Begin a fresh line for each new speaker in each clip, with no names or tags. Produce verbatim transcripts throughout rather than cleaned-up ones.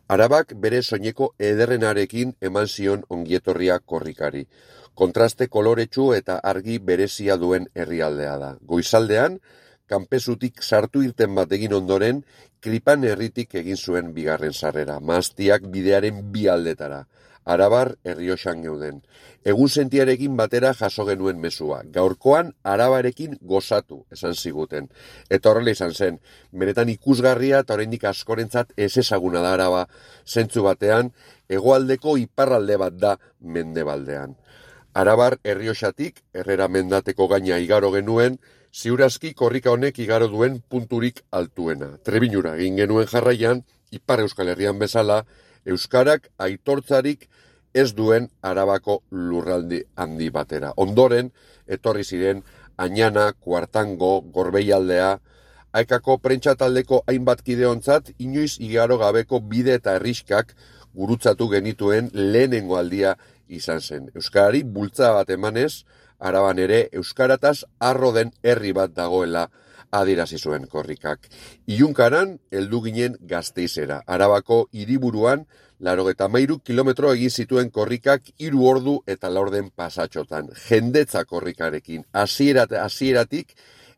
Arabak bere soineko ederrenarekin eman zion ongietorria korrikari. Kontraste koloretsu eta argi berezia duen herrialdea da. Goizaldean, kanpezutik sartu irten bat egin ondoren, Kripan herritik egin zuen bigarren sarrera, mahastiak bidearen bi aldetara. Arabar Errioxan geuden. Egun sentiarekin batera jaso genuen mezua. Gaurkoan Arabarekin gozatu, esan ziguten. Eta horrela izan zen, benetan ikusgarria eta oraindik askorentzat ez ezaguna da Araba, zentzu batean, hegoaldeko iparralde bat da mendebaldean. Arabar Errioxatik, Herrera mendateko gaina igaro genuen, ziurazki korrika honek igaro duen punturik altuena. Trebinura egin genuen jarraian, Ipar Euskal Herrian bezala, euskarak aitortzarik ez duen Arabako lurraldi handi batera. Ondoren, etorri ziren Añana, Kuartango, Gorbeialdea, Aekako prentxataldeko hainbat kideontzat, inoiz igaro gabeko bide eta herriskak gurutzatu genituen lehenengo aldia izan zen. Euskarari bultza bat emanez, Araban ere euskarataz arro den herri bat dagoela adierazi zuen korrikak. Ilunkaran heldu ginen Gasteizera. Arabako hiriburuan laurogeita hamairu kilometro egin zituen korrikak hiru ordu eta laurden pasatxotan. Jendetza korrikarekin. Hasierat, hasieratik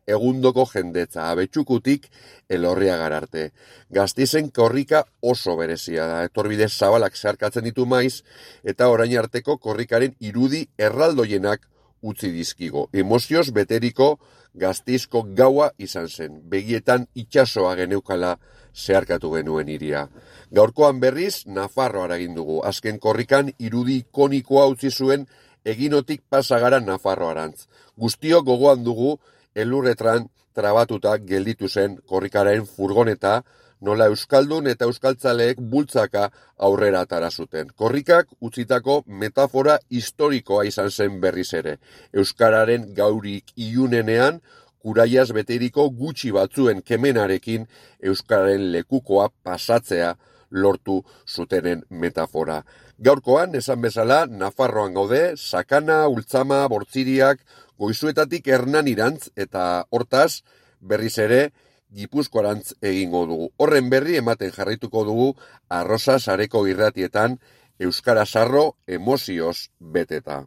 egundoko jendetza. Abetxukutik Elorriagar arte. Gasteizen korrika oso berezia da. Etorbide zabalak zeharkatzen ditu maiz eta orain arteko korrikaren irudi erraldoienak utzi dizkigo. Emozioz beteriko Gasteizko gaua izan zen. Begietan itsasoa geneukala zeharkatu genuen hiria. Gaurkoan berriz, Nafarroara egin dugu. Azken korrikan irudi ikonikoa utzi zuen eginotik pasagara Nafarroarantz. Guztiok gogoan dugu elurretran trabatuta gelditu zen korrikaren furgoneta, nola euskaldun eta euskaltzaleek bultzaka aurrera atara zuten. Korrikak utzitako metafora historikoa izan zen berriz ere. Euskararen gaurik ilunenean, kuraiaz beteriko gutxi batzuen kemenarekin euskararen lekukoa pasatzea lortu zutenen metafora. Gaurkoan, esan bezala, Nafarroan gaude, Sakana, Ultzama, Bortziriak, Goizuetatik Hernanirantz eta hortaz, berriz ere, Gipuzkoarantz egingo dugu. Horren berri ematen jarraituko dugu Arrosa sareko irratietan euskara sarro emozioz beteta.